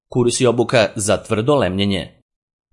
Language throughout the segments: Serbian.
Kurs i obuka za tvrdo lemljenje.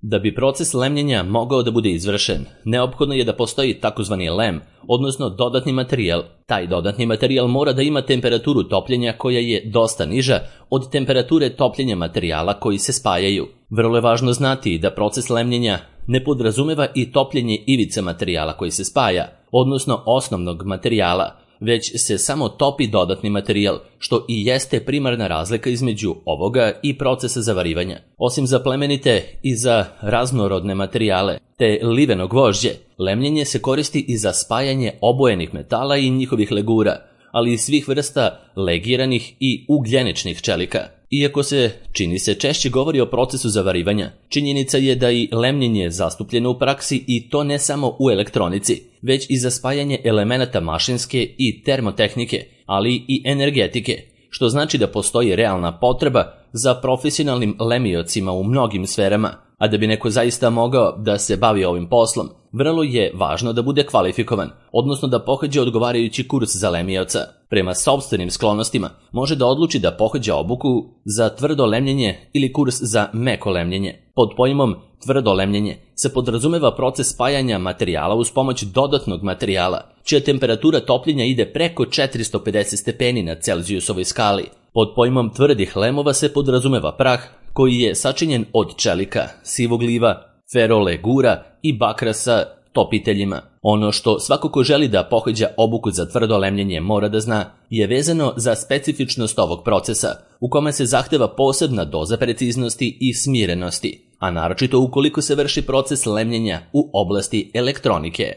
Da bi proces lemljenja mogao da bude izvršen, neophodno je da postoji takozvani lem, odnosno dodatni materijal. Taj dodatni materijal mora da ima temperaturu topljenja koja je dosta niža od temperature topljenja materijala koji se spajaju. Vrlo je važno znati da proces lemljenja ne podrazumeva i topljenje ivice materijala koji se spaja, odnosno osnovnog materijala, već se samo topi dodatni materijal, što i jeste primarna razlika između ovoga i procesa zavarivanja. Osim za plemenite i za raznorodne materijale, te liveno gvožđe, lemljenje se koristi i za spajanje obojenih metala i njihovih legura, ali i svih vrsta legiranih i ugljeničnih čelika. Iako se, čini se, češće govori o procesu zavarivanja, činjenica je da i lemljenje je zastupljeno u praksi i to ne samo u elektronici, već i za spajanje elemenata mašinske i termotehnike, ali i energetike, što znači da postoji realna potreba za profesionalnim lemiocima u mnogim sferama, a da bi neko zaista mogao da se bavi ovim poslom, vrlo je važno da bude kvalifikovan, odnosno da pohađa odgovarajući kurs za lemioca. Prema sopstvenim sklonostima može da odluči da pohađa obuku za tvrdo lemljenje ili kurs za meko lemljenje. Pod pojmom tvrdo lemljenje se podrazumeva proces spajanja materijala uz pomoć dodatnog materijala, čija temperatura topljenja ide preko 450 stepeni na Celzijusovoj skali. Pod pojmom tvrdih lemova se podrazumeva prah koji je sačinjen od čelika, sivog liva, ferolegura i bakra sa topiteljima. Ono što svako ko želi da pohađa obuku za tvrdo lemljenje mora da zna je vezano za specifičnost ovog procesa, u kome se zahteva posebna doza preciznosti i smirenosti, a naročito ukoliko se vrši proces lemljenja u oblasti elektronike.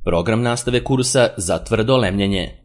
Program nastave kursa za tvrdo lemljenje.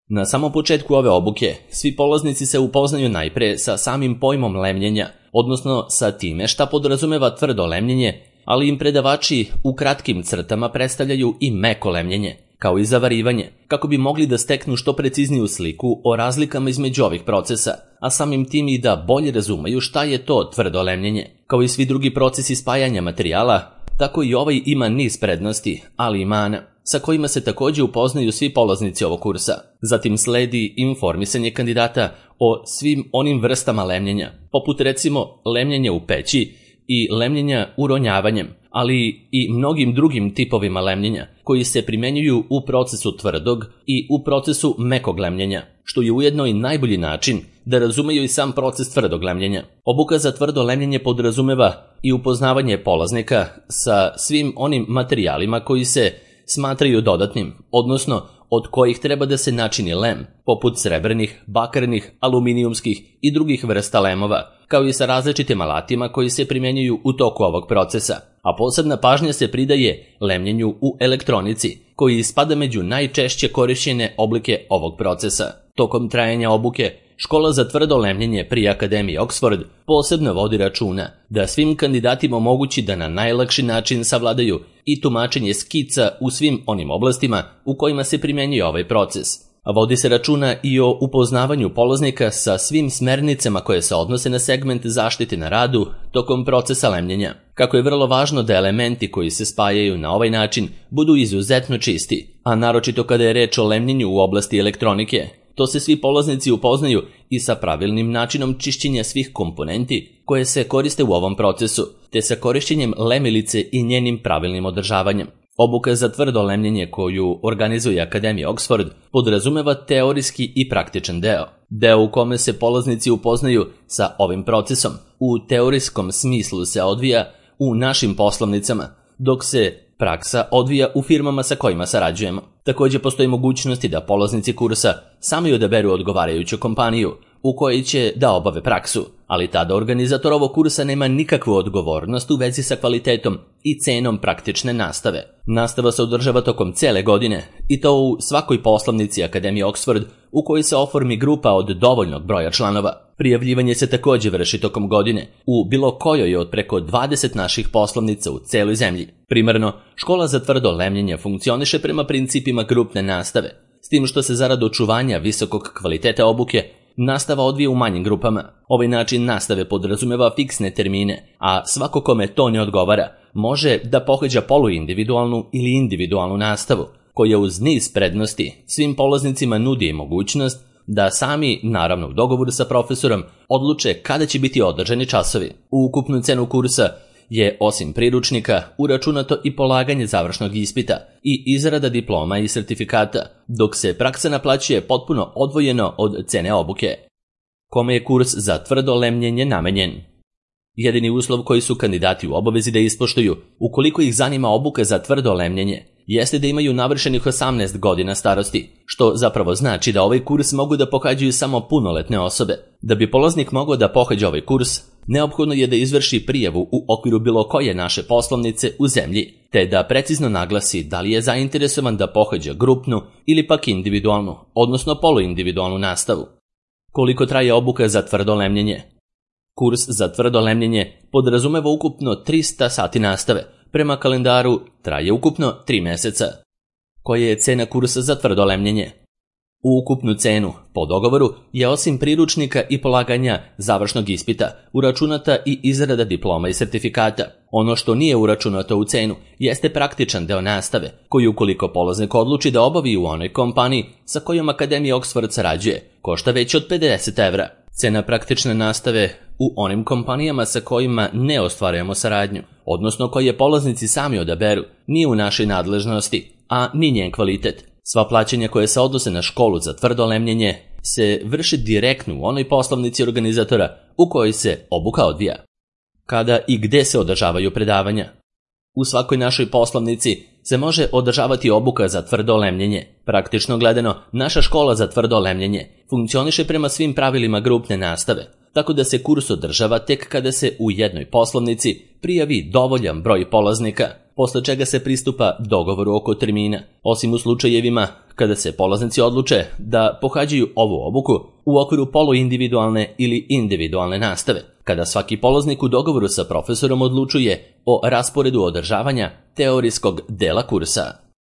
Na samom početku ove obuke, svi polaznici se upoznaju najpre sa samim pojmom lemljenja, odnosno sa time šta podrazumeva tvrdo lemljenje, ali im predavači u kratkim crtama predstavljaju i meko lemljenje, kao i zavarivanje, kako bi mogli da steknu što precizniju sliku o razlikama između ovih procesa, a samim tim i da bolje razumeju šta je to tvrdo lemljenje. Kao i svi drugi procesi spajanja materijala, tako i ovaj ima niz prednosti, ali i mana, sa kojima se također upoznaju svi polaznici ovog kursa. Zatim sledi informisanje kandidata o svim onim vrstama lemljenja, poput recimo lemljenja u peći i lemljenja uronjavanjem, ali i mnogim drugim tipovima lemljenja koji se primenjuju u procesu tvrdog i u procesu mekog lemljenja, što je ujedno i najbolji način da razumeju i sam proces tvrdog lemljenja. Obuka za tvrdo lemljenje podrazumeva i upoznavanje polaznika sa svim onim materijalima koji se smatraju dodatnim, odnosno od kojih treba da se načini lem, poput srebrnih, bakarnih, aluminijumskih i drugih vrsta lemova, kao i sa različitim alatima koji se primjenjuju u toku ovog procesa. A posebna pažnja se pridaje lemljenju u elektronici, koji spada među najčešće korišćene oblike ovog procesa. Tokom trajanja obuke, Škola za tvrdo lemljenje pri Akademiji Oxford posebno vodi računa da svim kandidatima omogući da na najlakši način savladaju i tumačenje skica u svim onim oblastima u kojima se primjenjuje ovaj proces. A vodi se računa i o upoznavanju polaznika sa svim smernicama koje se odnose na segment zaštite na radu tokom procesa lemljenja. Kako je vrlo važno da elementi koji se spajaju na ovaj način budu izuzetno čisti, a naročito kada je reč o lemljenju u oblasti elektronike, to se svi polaznici upoznaju i sa pravilnim načinom čišćenja svih komponenti koje se koriste u ovom procesu, te sa korišćenjem lemilice i njenim pravilnim održavanjem. Obuka za tvrdo lemljenje koju organizuje Akademija Oxford podrazumeva teorijski i praktičan deo u kome se polaznici upoznaju sa ovim procesom. U teorijskom smislu se odvija u našim poslovnicama, dok se praksa odvija u firmama sa kojima sarađujemo. Također postoji mogućnosti da polaznici kursa sami odaberu odgovarajuću kompaniju u kojoj će da obave praksu, ali tada organizator ovog kursa nema nikakvu odgovornost u vezi sa kvalitetom i cenom praktične nastave. Nastava se održava tokom cele godine i to u svakoj poslovnici Akademije Oxford u kojoj se oformi grupa od dovoljnog broja članova. Prijavljivanje se također vrši tokom godine u bilo kojoj od preko 20 naših poslovnica u celoj zemlji. Primarno, škola za tvrdo lemljenje funkcioniše prema principima grupne nastave, s tim što se zarad očuvanja visokog kvaliteta obuke nastava odvija u manjim grupama. Ovaj način nastave podrazumeva fiksne termine, a svako kome to ne odgovara može da pohađa poluindividualnu ili individualnu nastavu, koja uz niz prednosti svim polaznicima nudi mogućnost da sami, naravno u dogovoru sa profesorom, odluče kada će biti održani časovi. U ukupnu cenu kursa je, osim priručnika, uračunato i polaganje završnog ispita i izrada diploma i sertifikata, dok se praksa naplaćuje potpuno odvojeno od cene obuke. Kome je kurs za tvrdo lemljenje namenjen? Jedini uslov koji su kandidati u obavezi da ispoštuju, ukoliko ih zanima obuka za tvrdo lemljenje, jeste da imaju navršenih 18 godina starosti, što zapravo znači da ovaj kurs mogu da pohađaju samo punoletne osobe. Da bi polaznik mogao da pohađa ovaj kurs, neophodno je da izvrši prijavu u okviru bilo koje naše poslovnice u zemlji, te da precizno naglasi da li je zainteresovan da pohađa grupnu ili pak individualnu, odnosno poluindividualnu nastavu. Koliko traje obuka za tvrdo lemljenje? Kurs za tvrdo lemljenje podrazumeva ukupno 300 sati nastave. Prema kalendaru traje ukupno 3 meseca. Koja je cena kursa za tvrdo lemljenje? U ukupnu cenu, po dogovoru, je osim priručnika i polaganja završnog ispita uračunata i izrada diploma i sertifikata. Ono što nije uračunato u cenu jeste praktičan deo nastave, koji ukoliko polaznik odluči da obavi u onoj kompaniji sa kojom Akademija Oxford sarađuje, košta već od 50 evra. Cena praktične nastave u onim kompanijama sa kojima ne ostvarujemo saradnju, odnosno koje polaznici sami odaberu, nije u našoj nadležnosti, a ni njen kvalitet. Sva plaćanja koje se odnose na školu za tvrdo lemljenje se vrši direktno u onoj poslovnici organizatora u kojoj se obuka odvija. Kada i gde se održavaju predavanja? U svakoj našoj poslovnici se može održavati obuka za tvrdo lemljenje. Praktično gledano, naša škola za tvrdo lemljenje funkcioniše prema svim pravilima grupne nastave, tako da se kurs održava tek kada se u jednoj poslovnici prijavi dovoljan broj polaznika, posle čega se pristupa dogovoru oko termina, osim u slučajevima kada se polaznici odluče da pohađaju ovu obuku u okviru poluindividualne ili individualne nastave, kada svaki polaznik u dogovoru sa profesorom odlučuje o rasporedu održavanja teorijskog dela kursa.